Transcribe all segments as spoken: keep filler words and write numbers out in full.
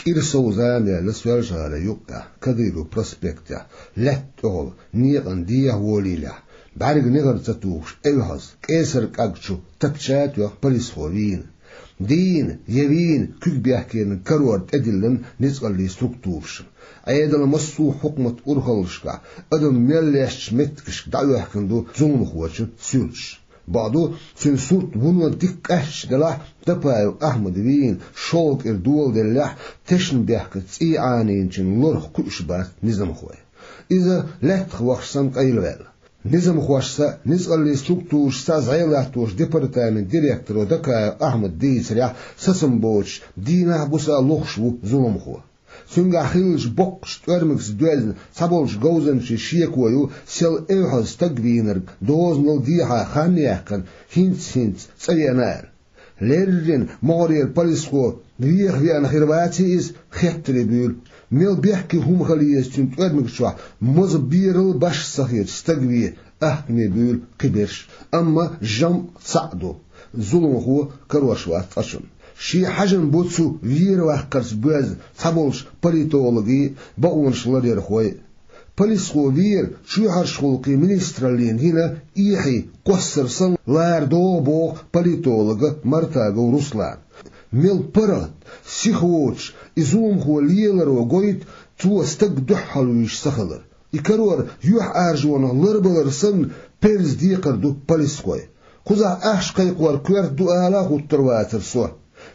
Ира сов зама яьлла Соьлжа-ГӀалий юккъехь, Кадыров проспектехь, лаьтта тӀехула, некъан дехьа волийлехь, бӀаьрга негӀар ца тухуш, эвхьаза, кӀесар кӀаг чу тапча а тоьхна, полисхо вийна. Дийна я вийна, куьг бехкениг карор тӀедиллина ницкъаллийн структурашна. Ӏедалан массо а хьукматан урхаллашкахь адам мел лестачу меттигашка дӀаоьхкина ду зуламхочун суьрташ. Бакъду, цуьнан сурт вуно дика къаьсташ делахь, Дапаев Ахьмад вийна шолгӀа кӀира доладеллехь, тешнабехкан цӀий Ӏанийначун лорах кхуьуш бац низамхой. Иза лаьттах вахча санна къайлаваьлла. Низамхошца а, ницкъаллийн структурашца а зӀе латточу департаментан директоро Дакаев Ахьмада дийцарехь, сацам боцуш, дийнахь а, буса а лохуш ву зуламхо. Цуьнгахь хиллачу боккхачу тӀоьрмигца доьзна цхьаболчу говзанчийн шеко ю, сел эвхьаза стаг вийнарг дозанал дехьа хан яьккхина, хӀинца-хӀинца цӀа веана аьлла. Леррина могӀарера полисхо веха веана хир ваций иза, хеттаре буьйлу. Мел бехке хӀума хила еза цуьнан тӀоьрмиг чохь, моза берал а башха ца хеташ стаг ве, ахкаме буьйлу кхиберш, амма жамӀ цхьаъ ду: зуламхо карош вац цкъачунна. Шен хьажам бу цу вер-ваккхарца боьзна цхьаболчу политологийн а, бакъонаш ларъярхойн а. Полисхо вер чоьхьарчу гӀуллакхийн министраллина йина эхье кхоссар санна лара догӀу боху политолога Мартагов Руслана. Мел паргӀат, сиха воцуш, и зуламхо леларо гойту цо стаг дуьхьалвуьйш ца хилар. И карор юьхьӀаьржонах ларбалар санна, перза декхар ду полисхойн. Кхузахь ахча кхайкхор коьрта ду ала а хӀуттур вацара со.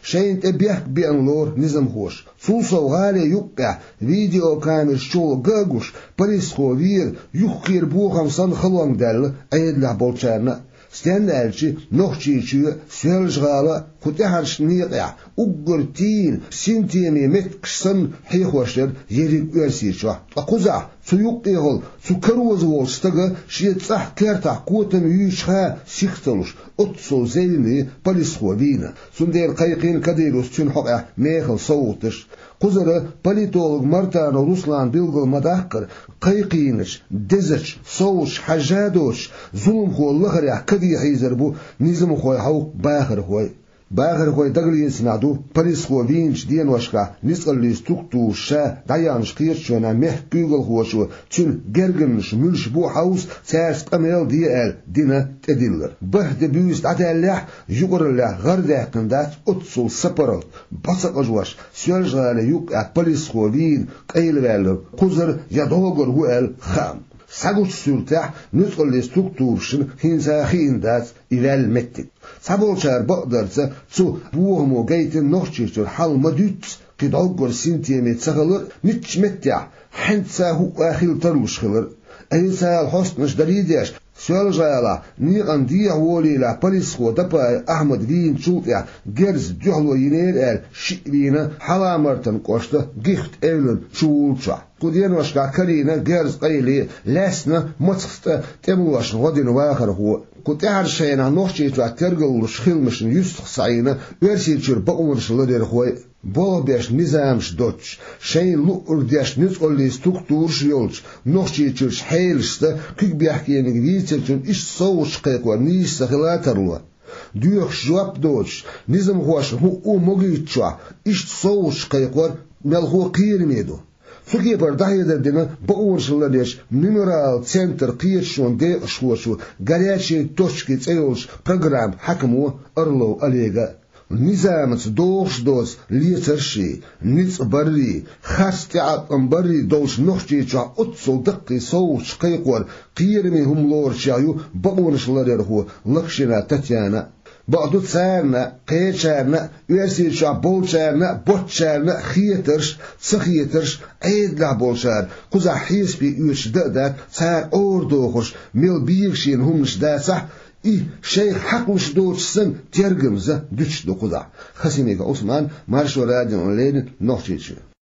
Шайна тӀе бехк беана лору низамхоша. Цул сов гӀалин юккъехь видеокамераш чухула ган а гуш, полисхо вер юххера бохам санна халонга даьлла Ӏедалехь болчарна а. Стенна аьлча, Нохчийчоь а, Соьлжа-ГӀала а, кху тӀаьхьарчу некъехь уггар тийна синтеме меттигаш санна хьехош яра ерриг Оьрсийчохь. Ткъа кхузахь цу юккъехула цу кароза волчу стага шен цӀахь кертахь котам юьйцуш хан сих ца луш, оццул зевне полисхо вийна. Цундела кхайкхийна Кадыровс цуьнан хьокъехь мехала совгӀаташ. Кхузара политолог Мартанов Руслана билгал ма-даккхара, кхайкхийначу, дезачу совгӀаташ хьажжа а доцуш, зуламхо лахарехь каде хьийзар бу низамхойн хьовха бахархой. Бахархой дагалецамехь ду, полисхо вийначу деношкахь ницкъаллийн структураш ша дӀаяьхьначу кхеташонехь мехкан куьйгалхочо цуьнан гергарнаш муьлш бу а хьовса, цаьрца къамел а де аьлла, дина тӀедиллар. БархӀ де-буьйса дӀадаьллехь, юкъараллехь гӀар даьккхина дац оццул сапаргӀат, бӀо ца къажош, Соьлжа-ГӀалин юккъехь полисхо вийна къайлаваьлларг кхузара я дӀогара ву аьлла хаам. Схьагучу суьртехь, нуьцкъаллийн структурашна хӀинца а хиъна дац и ваьлла меттиг. Цхьаболчара бакъдарца, цу бохамо гайтина Нохчийчуьра хьал ма-дуьйццу кхин дӀоггара синтеме ца хилар а, муьлххачу меттехь хьаьнца а хӀуъа а хила тарлуш хилар а. Ӏийсала хьостанаш дарий а деш, Соьлжа-ГӀалахь некъан дехьа волийлахь полисхо Дапаев Ахьмад вийначул тӀаьхьа герзан дуьхьало йинера аьлла, шиъ вийна Хьалха-Мартан кӀоштан Гихт эвлан чу вуллучохь. Кху деношкахь карийна герз къайле, лаьцна мацах тӀа тӀемалошна гӀо дина вахархо. Кху тӀаьхьарчу хенахь Нохчийчохь тергаллуш хиламашна юьстах схьаийна Оьрсийчуьра бакъонаш ларъярхой а. Болх беш низамаш доцуш, шайна луъург деш нуьцкъаллийн структураш а йолчу Нохчийчуьрчу хьелашца куьг бехкениг вийцинчун иштта совгӀаташ кхайкхор нийса ца хила а тарло. Доьхуш жоп доцуш, низамхошна хӀуъа а могуьйтучохь, иштта совгӀаташ кхайкхор мелхо кхераме ду. Цу кепара дӀахьедар дина бакъонаш ларъечу «Мемориал» центран кхеташонан декъашхочо, «Горячие точки» цӀе йолчу программан хьаькамо Орлов Олега. Низамаца догӀуш доцу лецарш а, ницкъ баррий, харц тӀеӀаткъам баррий долуш Нохчийчохь оццул даккхий совгӀаташ кхайкхор кхераме хӀума лоручех ю бакъонаш ларъярхо Локшина Татьяна а. Бакъду, царна а, кхечарна а, Оьрсийчохь болчарна а, боцчарна а хетарш а, ца хетарш а, Ӏедалехь болчара кхузахь хьесапе оьцуш дан а дац, цара Ӏорадохурш, мел бегашийна хӀуманаш дацахь а, и шайх хьакхалуш доцуш санна, тергамза дуьтуш ду кхузахь. Хасимиков Ӏусман, Маршо радиона леррина, Нохчийчуьра.